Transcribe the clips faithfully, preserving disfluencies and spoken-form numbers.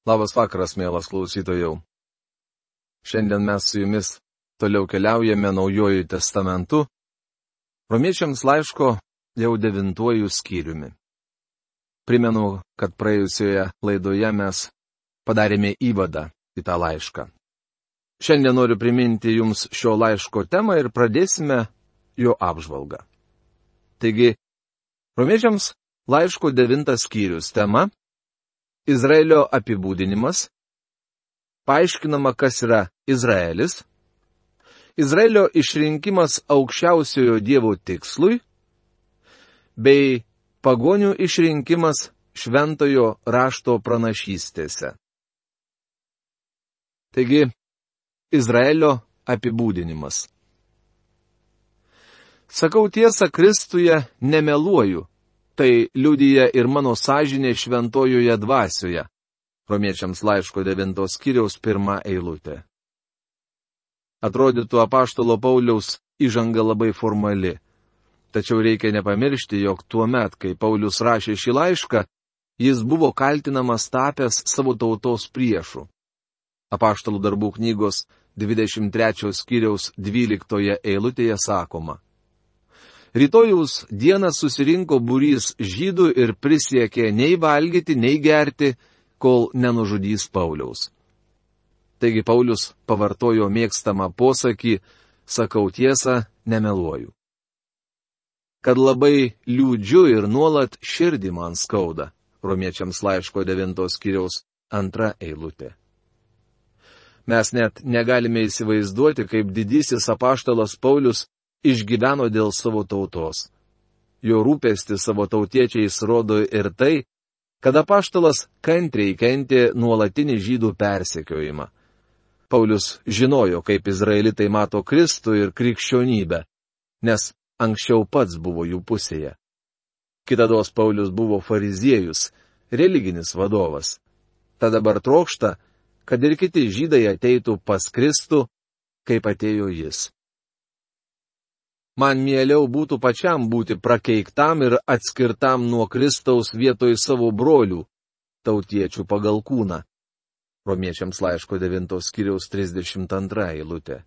Labas vakaras, mielas klausytojau. Šiandien mes su jumis toliau keliaujame Naujuoju testamentu, Romiečiams laiško jau devintuoju skyriumi. Primenu, kad praėjusioje laidoje mes padarėme įvadą į tą laišką. Šiandien noriu priminti jums šio laiško temą ir pradėsime jo apžvalgą. Taigi, Romiečiams laiško devintas skyrius tema – Izraelio apibūdinimas, paaiškinama, kas yra Izraelis, Izraelio išrinkimas aukščiausiojo Dievo tikslui, bei pagonių išrinkimas šventojo rašto pranašystėse. Taigi, Izraelio apibūdinimas. Sakau tiesą Kristuje, nemeluoju. Tai liudija ir mano sąžinė šventojoje dvasioje. Romiečiams laiško devintos skyriaus pirma eilutė. Atrodytų apaštalo Pauliaus įžanga labai formali. Tačiau reikia nepamiršti, jog tuo met, kai Paulius rašė šį laišką, jis buvo kaltinamas tapęs savo tautos priešu. Apaštalų darbų knygos dvidešimt trečios skyriaus dvyliktoje eilutėje sakoma. Rytojaus dieną susirinko būrys žydų ir prisiekė nei valgyti, nei gerti, kol nenužudys Pauliaus. Taigi Paulius pavartojo mėgstamą posakį, sakau tiesą, nemeluoju. Kad labai liūdžiu ir nuolat širdį man skauda, Romiečiams laiško devintos skyriaus antra eilutė. Mes net negalime įsivaizduoti, kaip didysis apaštalas Paulius išgyveno dėl savo tautos. Jo rūpestį savo tautiečiais rodo ir tai, kad apaštalas kantriai kentė nuolatinį žydų persekiojimą. Paulius žinojo, kaip izraelitai mato Kristų ir krikščionybę, nes anksčiau pats buvo jų pusėje. Kitados Paulius buvo fariziejus, religinis vadovas. Tad dabar trokšta, kad ir kiti žydai ateitų pas Kristų, kaip atėjo jis. Man mieliau būtų pačiam būti prakeiktam ir atskirtam nuo Kristaus vietoj savo brolių, tautiečių pagal kūną. Romiečiams laiško devintos skyriaus trisdešimt antra eilutė.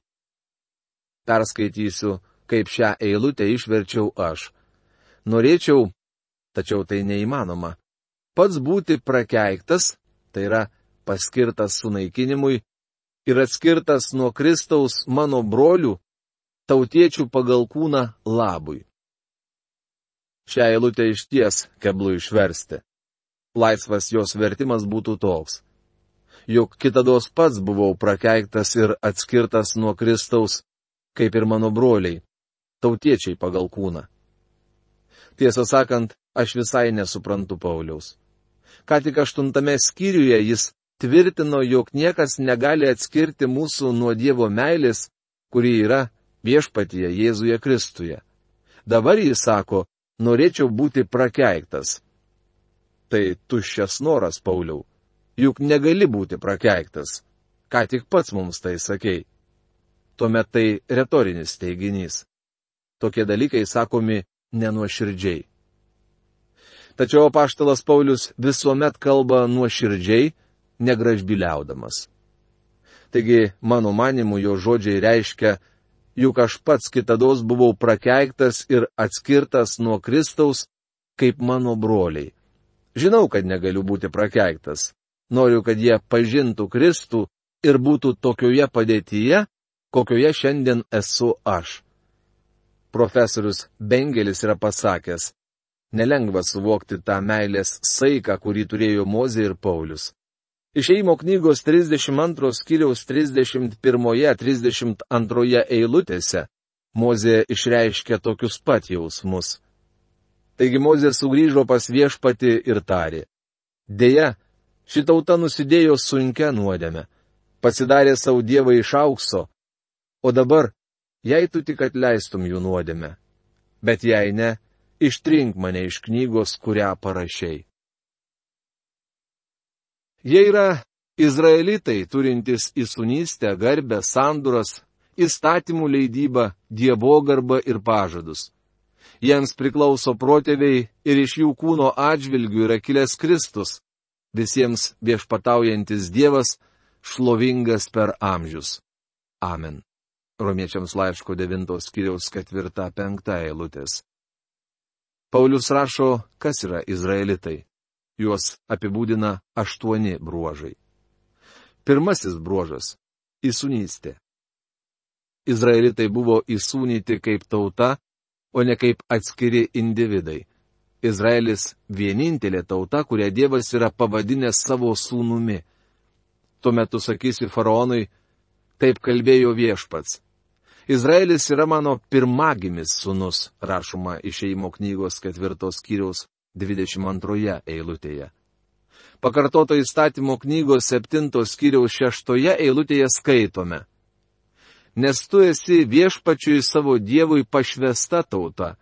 Perskaitysiu, kaip šią eilutę išverčiau aš. Norėčiau, tačiau tai neįmanoma, pats būti prakeiktas, tai yra paskirtas sunaikinimui, ir atskirtas nuo Kristaus mano brolių, tautiečių pagal kūną labui. Šią eilutę išties keblu išversti. Laisvas jos vertimas būtų toks. Juk kitados pats buvau prakeiktas ir atskirtas nuo Kristaus, kaip ir mano broliai, tautiečiai pagal kūną. Tiesą sakant, aš visai nesuprantu Pauliaus. Ką tik aštuntame skyriuje jis tvirtino, jog niekas negali atskirti mūsų nuo Dievo meilės, kuri yra viešpatyje Jėzuje Kristuje. Dabar jis sako, norėčiau būti prakeiktas. Tai tuščias noras, Pauliau. Juk negali būti prakeiktas. Ką tik pats mums tai sakei. Tuomet tai retorinis teiginys. Tokie dalykai sakomi nenuoširdžiai. Tačiau apaštalas Paulius visuomet kalba nuoširdžiai, negražbiliaudamas. Taigi, mano manimu, jo žodžiai reiškia, juk aš pats kitados buvau prakeiktas ir atskirtas nuo Kristaus, kaip mano broliai. Žinau, kad negaliu būti prakeiktas. Noriu, kad jie pažintų Kristų ir būtų tokioje padėtyje, kokioje šiandien esu aš. Profesorius Bengelis yra pasakęs, nelengva suvokti tą meilės saiką, kurį turėjo Mozė ir Paulius. Išėjimo knygos trisdešimt antros skyriaus trisdešimt pirmoje trisdešimt antroje eilutėse Mozė išreiškė tokius pat jausmus. Taigi Mozė sugrįžo pas viešpatį ir tarė. Deja, ši tauta nusidėjo sunkia nuodėme, pasidarė savo dievą iš aukso, o dabar, jei tu tik atleistum jų nuodėmę, bet jei ne, ištrink mane iš knygos, kurią parašei. Jie yra izraelitai, turintys įsūnystę, garbę, sandoras, įstatymų leidybą, dievogarbą ir pažadus. Jiems priklauso protėviai ir iš jų kūno atžvilgių yra kilęs Kristus, visiems viešpataujantis Dievas, šlovingas per amžius. Amen. Romiečiams laiško devintos skyriaus ketvirta penkta eilutės. Paulius rašo, kas yra izraelitai. Juos apibūdina aštuoni bruožai. Pirmasis bruožas – įsūnystė. Izraelitai buvo įsūnyti kaip tauta, o ne kaip atskiri individai. Izraelis vienintelė tauta, kurią Dievas yra pavadinęs savo sūnumi. Tuo metu sakysi faraonui, taip kalbėjo viešpats. Izraelis yra mano pirmagimis sūnus, rašoma Išėjimo knygos ketvirtos skyriaus dvidešimt antroje eilutėje. Pakartoto įstatymo knygos septintos skyriaus šeštoje eilutėje skaitome. Nes tu esi viešpačiui savo Dievui pašvesta tauta.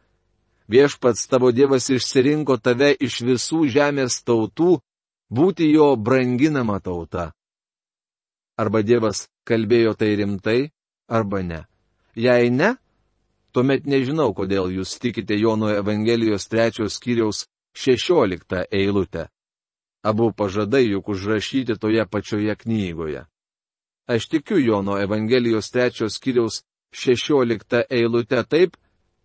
Viešpats tavo Dievas išsirinko tave iš visų žemės tautų, būti jo branginama tauta. Arba Dievas kalbėjo tai rimtai, arba ne. Jei ne, tuomet nežinau, kodėl jūs tikite Jono Evangelijos trečios skyriaus šešioliktą eilutę. Abu pažadai juk užrašyti toje pačioje knygoje. Aš tikiu Jono Evangelijos trečios skyriaus šešioliktą eilutę taip,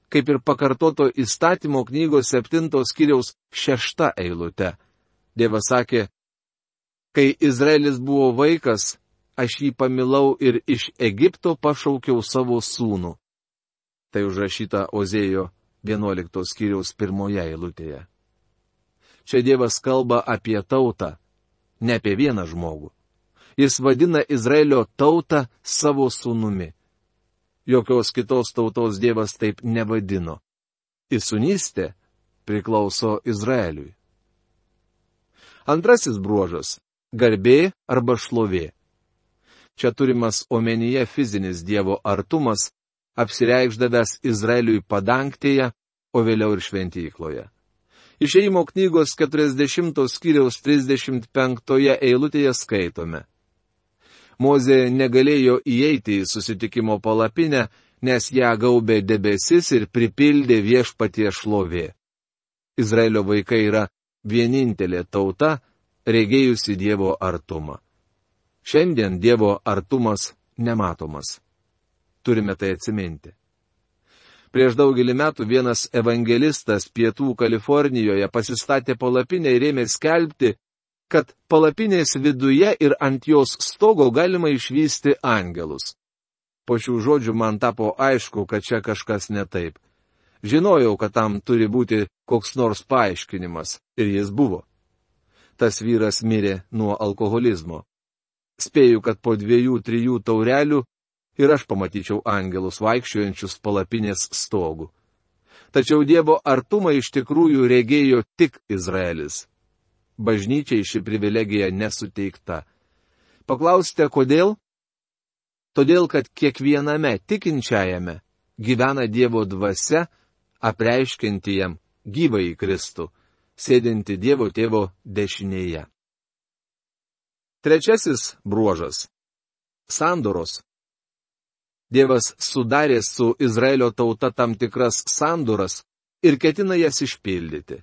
kaip ir pakartoto įstatymo knygos septintos skyriaus šešta eilutė. Dievas sakė, kai Izraelis buvo vaikas, aš jį pamilau ir iš Egipto pašaukiau savo sūnų. Tai užrašyta Ozėjo vienuoliktos skyriaus pirmoje eilutėje. Čia Dievas kalba apie tautą, ne apie vieną žmogų. Jis vadina Izraelio tautą savo sūnumi. Jokios kitos tautos Dievas taip nevadino. Įsūnystė priklauso Izraeliui. Antrasis bruožas – garbė arba šlovė. Čia turimas omenyje fizinis Dievo artumas, apsireikšdavęs Izraeliui padangtėje, o vėliau ir šventykloje. Išėjimo knygos keturiasdešimtos skyriaus trisdešimt penktoje eilutėje skaitome. Mozė negalėjo įeiti į susitikimo palapinę, nes ją gaubė debesis ir pripildė viešpatie šlovė. Izraelio vaikai yra vienintelė tauta, regėjusi Dievo artumą. Šiandien Dievo artumas nematomas. Turime tai atsiminti. Prieš daugelį metų vienas evangelistas pietų Kalifornijoje pasistatė palapinę ir ėmė skelbti, kad palapinės viduje ir ant jos stogo galima išvysti angelus. Po šių žodžių man tapo aišku, kad čia kažkas ne taip. Žinojau, kad tam turi būti koks nors paaiškinimas, ir jis buvo. Tas vyras mirė nuo alkoholizmo. Spėju, kad po dviejų, trijų taurelių ir aš pamatyčiau angelus vaikščiojančius palapinės stogų. Tačiau Dievo artumą iš tikrųjų regėjo tik Izraelis. Bažnyčiai ši privilegija nesuteikta. Paklausite, kodėl? Todėl, kad kiekviename tikinčiajame gyvena Dievo dvasia, apreiškianti jam gyvąjį Kristų, sėdinti Dievo tėvo dešinėje. Trečiasis bruožas – sandoros. Dievas sudarė su Izraelio tauta tam tikras sandoras ir ketina jas išpildyti.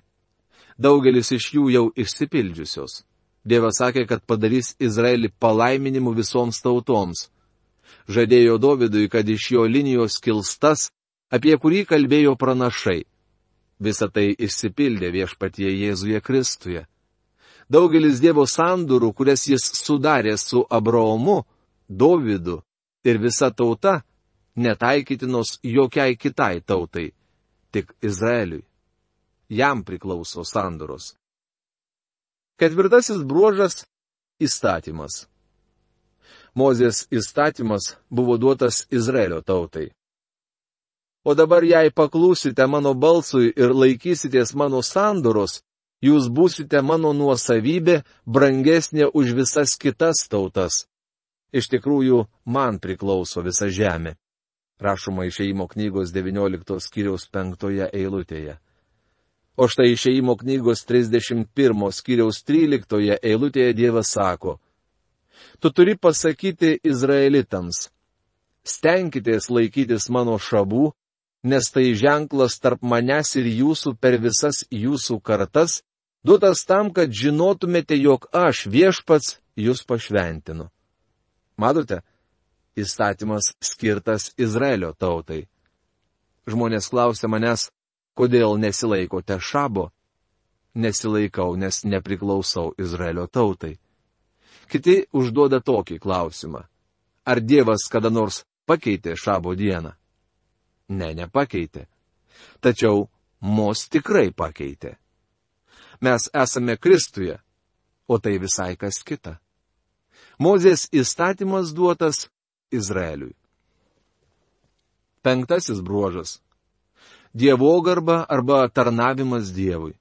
Daugelis iš jų jau išsipildžiusios. Dievas sakė, kad padarys Izraelį palaiminimu visoms tautoms. Žadėjo Dovydui, kad iš jo linijos kils tas, apie kurį kalbėjo pranašai. Visa tai išsipildė viešpatie Jėzuje Kristuje. Daugelis Dievo sandorų, kurias jis sudarė su Abraomu, Dovydu ir visa tauta, netaikytinos jokiai kitai tautai, tik Izraeliui. Jam priklauso sandoros. Ketvirtasis bruožas – įstatymas. Mozės įstatymas buvo duotas Izraelio tautai. O dabar, jei paklūsite mano balsui ir laikysitės mano sandoros, jūs būsite mano nuosavybė, brangesnė už visas kitas tautas. Iš tikrųjų, man priklauso visa žemė. Rašoma Išėjimo knygos devynioliktos skyriaus penktoje eilutėje. O štai Išėjimo knygos trisdešimt pirmos skyriaus tryliktoje eilutėje Dievas sako: Tu turi pasakyti izraelitams, stenkitės laikytis mano šabų, nes tai ženklas tarp manęs ir jūsų per visas jūsų kartas, Duotas tam, kad žinotumėte, jog aš viešpats jūs pašventinu. Matote, įstatymas skirtas Izraelio tautai. Žmonės klausia manęs, kodėl nesilaikote šabo? Nesilaikau, nes nepriklausau Izraelio tautai. Kiti užduoda tokį klausimą. Ar Dievas kada nors pakeitė šabo dieną? Ne, nepakeitė. Tačiau mus tikrai pakeitė. Mes esame Kristuje, o tai visai kas kita. Mozės įstatymas duotas Izraeliui. Penktasis bruožas. Dievogarba arba tarnavimas Dievui.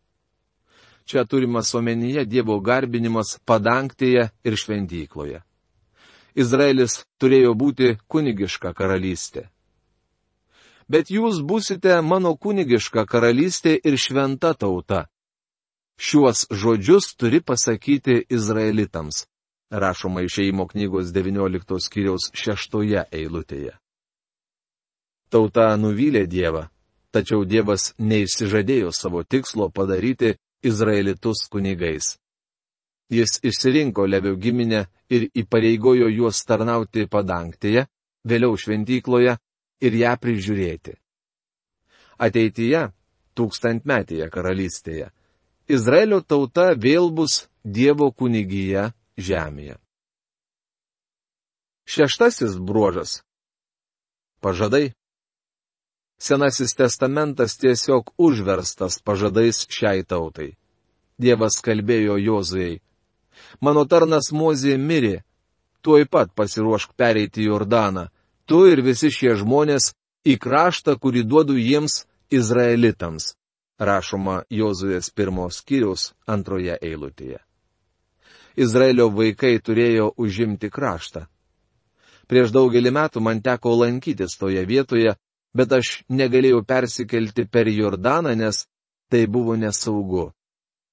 Čia turimas omenyje Dievo garbinimas padangtėje ir šventykloje. Izraelis turėjo būti kunigiška karalystė. Bet jūs būsite mano kunigiška karalystė ir šventa tauta. Šiuos žodžius turi pasakyti izraelitams, rašoma Išėjimo knygos devynioliktos skyriaus šeštoje eilutėje. Tauta nuvylė Dievą, tačiau Dievas neišsižadėjo savo tikslo padaryti izraelitus kunigais. Jis išsirinko Levio giminę ir įpareigojo juos tarnauti padangtėje, vėliau šventykloje ir ją prižiūrėti. Ateityje, tūkstantmetėje karalystėje, Izraelio tauta vėl bus Dievo kunigija žemėje. Šeštasis bruožas. Pažadai. Senasis testamentas tiesiog užverstas pažadais šiai tautai. Dievas kalbėjo Jozuei. Mano tarnas Mozė mirė, tuoj pat pasiruošk pereiti Jordaną, tu ir visi šie žmonės į kraštą, kurį duodu jiems izraelitams. Rašoma Jozuės pirmos skyriaus antroje eilutėje. Izraelio vaikai turėjo užimti kraštą. Prieš daugelį metų man teko lankytis toje vietoje, bet aš negalėjau persikelti per Jordaną, nes tai buvo nesaugu.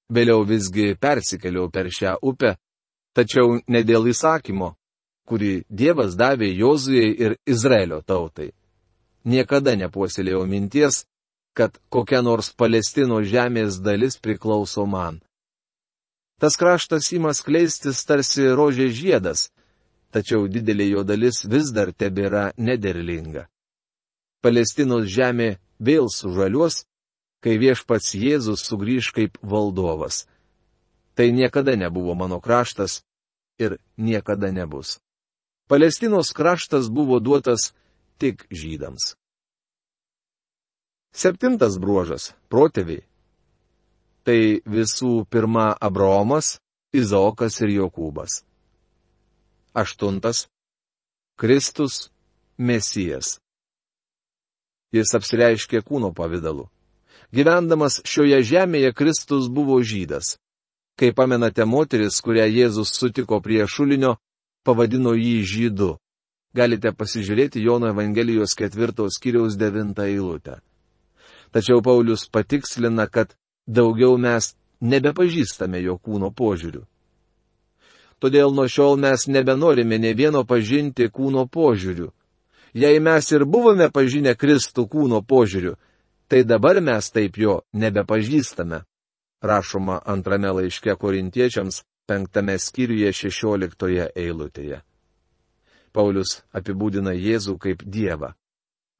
Vėliau visgi persikeliau per šią upę, tačiau ne dėl įsakymo, kurį Dievas davė Jozujai ir Izraelio tautai. Niekada nepuoselėjau minties, kad kokia nors Palestinos žemės dalis priklauso man. Tas kraštas ima skleistis tarsi rožės žiedas, tačiau didelė jo dalis vis dar tebėra nederlinga. Palestinos žemė vėl sužaliuos, kai viešpats Jėzus sugrįž kaip valdovas. Tai niekada nebuvo mano kraštas ir niekada nebus. Palestinos kraštas buvo duotas tik žydams. Septintas bruožas – protėviai. Tai visų pirma Abraomas, Izaokas ir Jokūbas. Aštuntas – Kristus, Mesijas. Jis apsireiškė kūno pavidalu. Gyvendamas šioje žemėje Kristus buvo žydas. Kai pamenate, moteris, kurią Jėzus sutiko prie šulinio, pavadino jį žydu. Galite pasižiūrėti Jono Evangelijos ketvirtos skyriaus devintą eilutę. Tačiau Paulius patikslina, kad daugiau mes nebepažįstame jo kūno požiūrių. Todėl nuo šiol mes nebenorime ne vieno pažinti kūno požiūrių. Jei mes ir buvome pažinę Kristų kūno požiūrių, tai dabar mes taip jo nebepažįstame. Rašoma antrame laiške Korintiečiams, penktame skyriuje šešioliktoje eilutėje. Paulius apibūdina Jėzų kaip Dievą.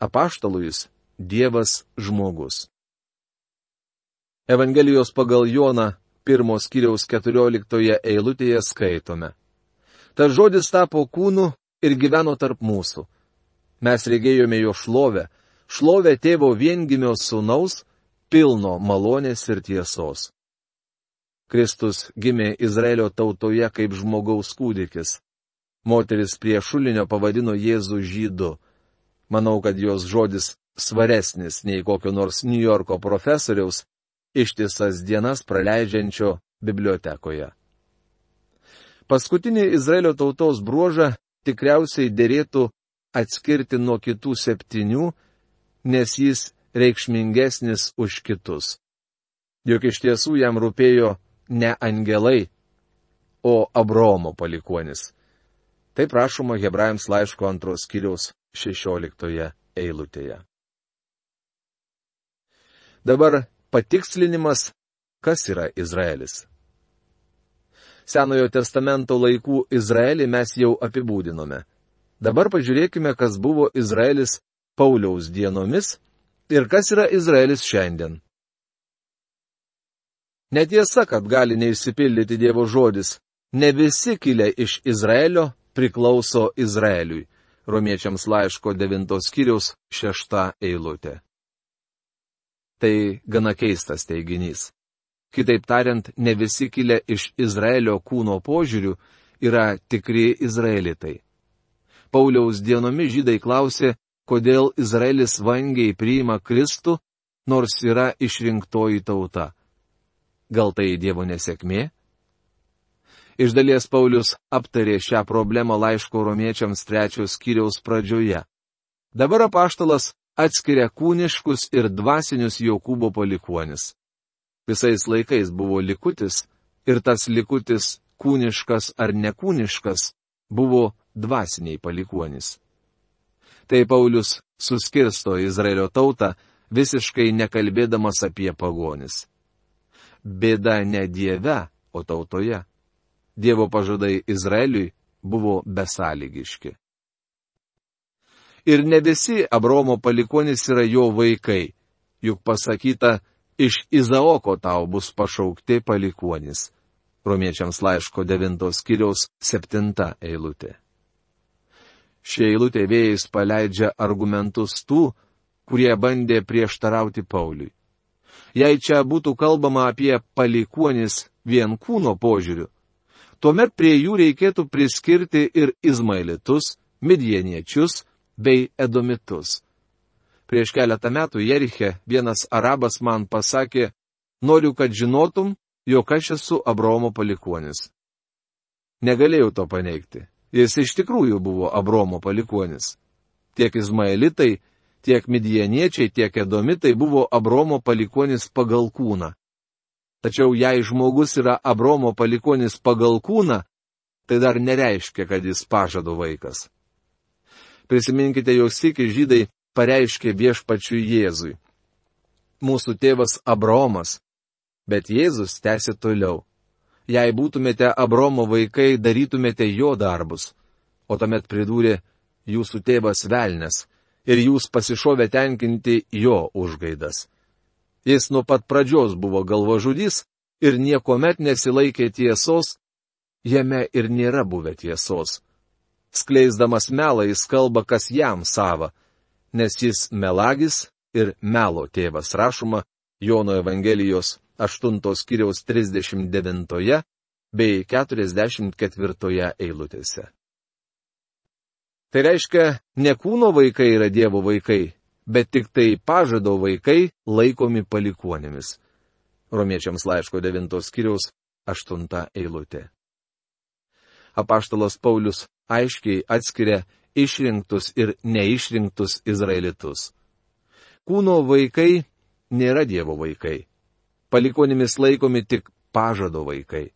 Apaštalui jis Dievas žmogus. Evangelijos pagal Joną pirmos skyriaus keturioliktoje eilutėje skaitome. Tas žodis tapo kūnu ir gyveno tarp mūsų. Mes regėjome jo šlovę, šlovę tėvo viengimio sūnaus, pilno malonės ir tiesos. Kristus gimė Izraelio tautoje kaip žmogaus kūdikis. Moteris prie šulinio pavadino Jėzų žydu. Manau, kad jos žodis svaresnis nei kokio nors New Yorko profesoriaus, ištisas dienas praleidžiančio bibliotekoje. Paskutinį Izraelio tautos bruožą tikriausiai derėtų atskirti nuo kitų septynių, nes jis reikšmingesnis už kitus. Juk iš tiesų jam rūpėjo ne angelai, o Abraomo palikuonis. Taip rašoma Hebrajams laiško antros skyriaus šešioliktoje eilutėje. Dabar patikslinimas, kas yra Izraelis. Senojo testamento laikų Izraelį mes jau apibūdinome. Dabar pažiūrėkime, kas buvo Izraelis Pauliaus dienomis ir kas yra Izraelis šiandien. Netiesa, kad gali neišsipildyti Dievo žodis. Ne visi kilę iš Izraelio priklauso Izraeliui. Romiečiams laiško devintos skyriaus šešta eilutė. Tai gana keistas teiginys. Kitaip tariant, ne visi kilę iš Izraelio kūno požiūrių yra tikri izraelitai. Pauliaus dienomis žydai klausė, kodėl Izraelis vangiai priima Kristų, nors yra išrinktoji tauta. Gal tai Dievo nesėkmė? Iš dalies Paulius aptarė šią problemą laiško romiečiams trečios skyriaus pradžioje. Dabar apaštalas atskiria kūniškus ir dvasinius Jokūbo palikuonis. Visais laikais buvo likutis, ir tas likutis, kūniškas ar nekūniškas, buvo dvasiniai palikuonis. Tai Paulius suskirsto Izraelio tautą, visiškai nekalbėdamas apie pagonis. Bėda ne Dieve, o tautoje. Dievo pažadai Izraeliui buvo besąlygiški. Ir ne visi Abraomo palikuonys yra jo vaikai, juk pasakyta, iš Izaoko tau bus pašaukti palikuonys. Romiečiams laiško devintos skyriaus septinta eilutė. Šie eilutė vėjais paleidžia argumentus tų, kurie bandė prieštarauti Pauliui. Jei čia būtų kalbama apie palikuonis vien kūno požiūriu, tuomet prie jų reikėtų priskirti ir izmaelitus, midjaniečius bei edomitus. Prieš keletą metų Jeriche vienas arabas man pasakė, noriu, kad žinotum, jog aš esu Abraomo palikuonis. Negalėjau to paneigti. Jis iš tikrųjų buvo Abraomo palikuonis. Tiek izmaelitai, tiek midjaniečiai, tiek edomitai buvo Abraomo palikuonis pagal kūną. Tačiau jei žmogus yra Abraomo palikuonis pagal kūną, tai dar nereiškia, kad jis pažado vaikas. Prisiminkite, jau sykį žydai pareiškė viešpačiui Jėzui. Mūsų tėvas Abraomas, bet Jėzus tęsė toliau. Jei būtumėte Abraomo vaikai, darytumėte jo darbus. O tuomet pridūrė, jūsų tėvas velnias, ir jūs pasišovė tenkinti jo užgaidas. Jis nuo pat pradžios buvo galvažudys ir niekuomet nesilaikė tiesos, jame ir nėra buvę tiesos. Skleisdamas melą jis kalba, kas jam sava, nes jis melagis ir melo tėvas, rašoma Jono Evangelijos aštuntos skyriaus trisdešimt devintoje bei keturiasdešimt ketvirtoje eilutėse. Tai reiškia, ne kūno vaikai yra Dievo vaikai, bet tik tai pažado vaikai laikomi palikuonėmis. Romiečiams laiško devintos skyriaus aštunta eilutė. Apaštalas Paulius aiškiai atskiria išrinktus ir neišrinktus izraelitus. Kūno vaikai nėra Dievo vaikai. Palikuonimis laikomi tik pažado vaikai.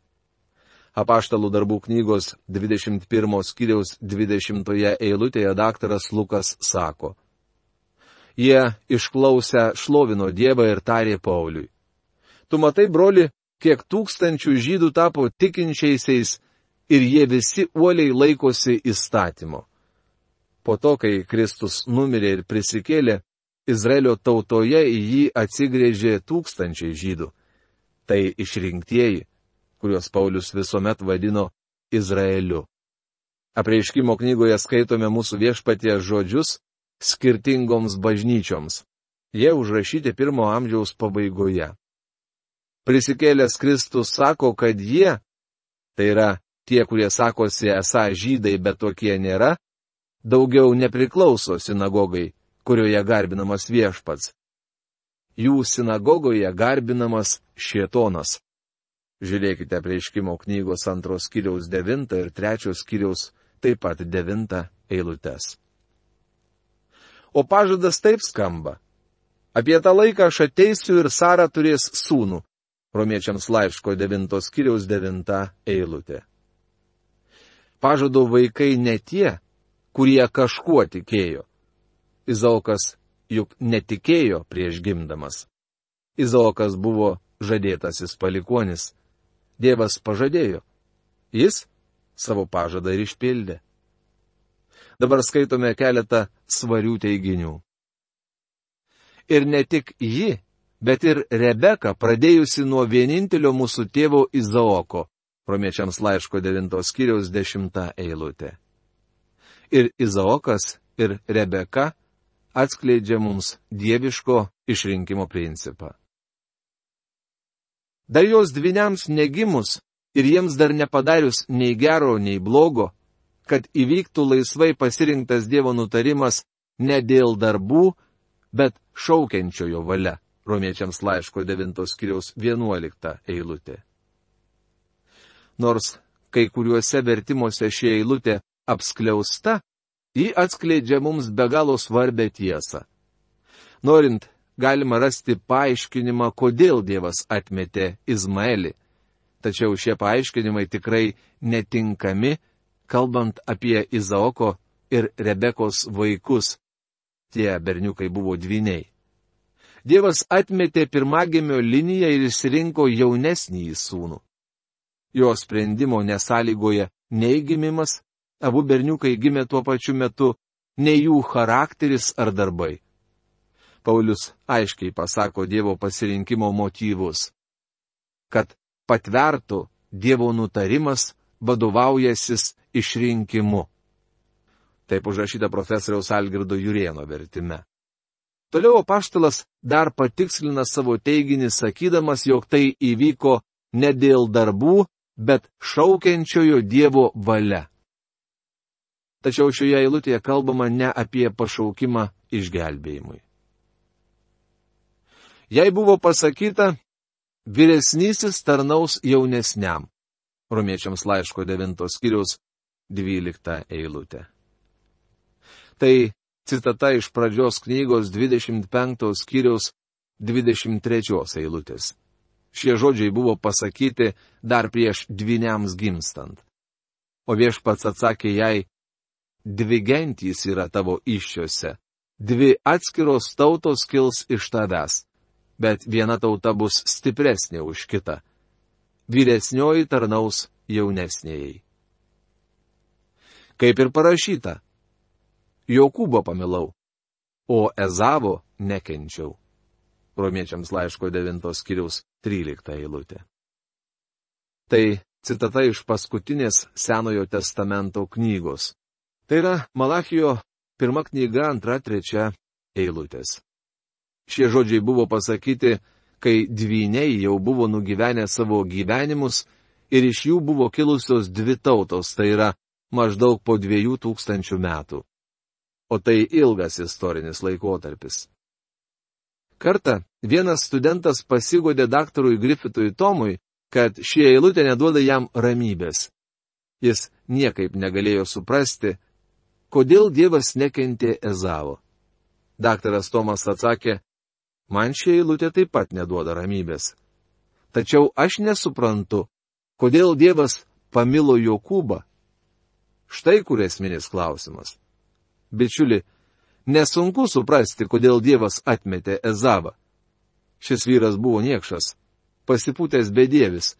Apaštalų darbų knygos dvidešimt pirmos skyriaus dvidešimtoje eilutėje daktaras Lukas sako. Jie išklausę šlovino Dievą ir tarė Pauliui. Tu matai, broli, kiek tūkstančių žydų tapo tikinčiaisiais ir jie visi uoliai laikosi įstatymo. Po to, kai Kristus numirė ir prisikėlė, Izraelio tautoje į jį atsigrėžė tūkstančiai žydų. Tai išrinktieji, kuriuos Paulius visuomet vadino Izraeliu. Apreiškimo knygoje skaitome mūsų Viešpaties žodžius skirtingoms bažnyčioms. Jie užrašyti pirmo amžiaus pabaigoje. Prisikėlęs Kristus sako, kad jie, tai yra tie, kurie sakosi esą žydai, bet tokie nėra, daugiau nepriklauso sinagogai, kurioje garbinamas Viešpats. Jų sinagogoje garbinamas Šėtonas. Žiūrėkite Apreiškimo knygos antros skyriaus devintą ir trečios skyriaus taip pat devintą eilutes. O pažadas taip skamba. Apie tą laiką aš ateisiu ir Sara turės sūnų. Romiečiams laiško devintos skyriaus devintą eilutė. Pažado vaikai ne tie, kurie kažkuo tikėjo. Izaokas juk netikėjo prieš gimdamas. Izaokas buvo žadėtasis palikuonis. Dievas pažadėjo. Jis savo pažadą ir išpildė. Dabar skaitome keletą svarių teiginių. Ir ne tik ji, bet ir Rebeka, pradėjusi nuo vienintelio mūsų tėvo Izaoko, Romiečiams laiško devintos skyriaus dešimta eilutė. Ir Izaokas, ir Rebeka atskleidžia mums dieviško išrinkimo principą. Dar jos dvyniams negimus ir jiems dar nepadarius nei gero, nei blogo, kad įvyktų laisvai pasirinktas Dievo nutarimas ne dėl darbų, bet šaukiančiojo valia. Romiečiams laiško devintos skyriaus vienuolikta eilutė. Nors kai kuriuose vertimuose ši eilutė apskliausta, ji atskleidžia mums be galo svarbę tiesą. Norint, galima rasti paaiškinimą, kodėl Dievas atmetė Izmaelį. Tačiau šie paaiškinimai tikrai netinkami, kalbant apie Izaoko ir Rebekos vaikus. Tie berniukai buvo dvyniai. Dievas atmetė pirmagimio liniją ir išsirinko jaunesnįjį sūnų. Jo sprendimo nesąlygoja nei gimimas, abu berniukai gimė tuo pačiu metu, nei jų charakteris ar darbai. Paulius aiškiai pasako Dievo pasirinkimo motyvus. Kad patvertų Dievo nutarimas vadovaujasis išrinkimu. Taip užrašyta profesoriaus Algirdo Jurėno vertime. Toliau apaštalas dar patikslina savo teiginį, sakydamas, jog tai įvyko ne dėl darbų, bet šaukiančiojo Dievo valia. Tačiau šioje eilutėje kalbama ne apie pašaukimą išgelbėjimui. Jei buvo pasakyta, vyresnysis tarnaus jaunesniam. Romiečiams laiško devintos skyriaus dvylikta eilutė. Tai citata iš pradžios knygos dvidešimt penktos skyriaus dvidešimt trečios eilutės. Šie žodžiai buvo pasakyti dar prieš dvyniams gimstant. O viešpats atsakė jai, dvi gentys yra tavo įsčiose, dvi atskiros tautos kils iš tavęs, bet viena tauta bus stipresnė už kitą. Vyresnioji tarnaus jaunesnėjai. Kaip ir parašyta, Jokūbo pamilau, o Ezavo nekenčiau. Romiečiams laiško devintos skyriaus trylikta eilutė. Tai citata iš paskutinės Senojo testamento knygos. Tai yra Malachijo pirma knyga, antra, trečia eilutės. Šie žodžiai buvo pasakyti, kai dvyniai jau buvo nugyvenę savo gyvenimus ir iš jų buvo kilusios dvi tautos, tai yra maždaug po dviejų tūkstančių metų. O tai ilgas istorinis laikotarpis. Kartą vienas studentas pasigodė daktarui Griffithui Tomui, kad ši eilutė neduoda jam ramybės. Jis niekaip negalėjo suprasti, kodėl Dievas nekentė Ezavo. Daktaras Tomas atsakė, man ši eilutė taip pat neduoda ramybės. Tačiau aš nesuprantu, kodėl Dievas pamilo Jokūbą. Štai kur esminis klausimas. Bičiuli, nesunku suprasti, kodėl Dievas atmetė Ezavą. Šis vyras buvo niekšas, pasipūtęs bedievis,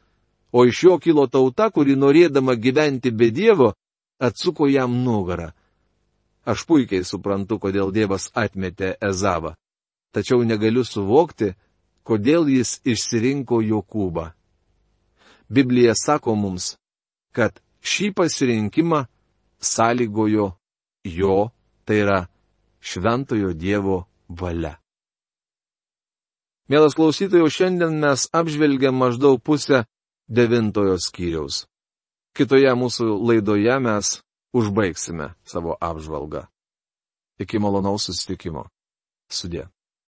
o iš jo kilo tauta, kuri norėdama gyventi be Dievo, atsuko jam nugarą. Aš puikiai suprantu, kodėl Dievas atmetė Ezavą, tačiau negaliu suvokti, kodėl jis išsirinko Jokūbą. Biblija sako mums, kad šį pasirinkimą sąlygojo jo, tai yra šventojo Dievo valia. Mielas klausytojau, šiandien mes apžvelgiam maždaug pusę devintojo skyriaus. Kitoje mūsų laidoje mes užbaigsime savo apžvalgą. Iki malonaus susitikimo. Sudie.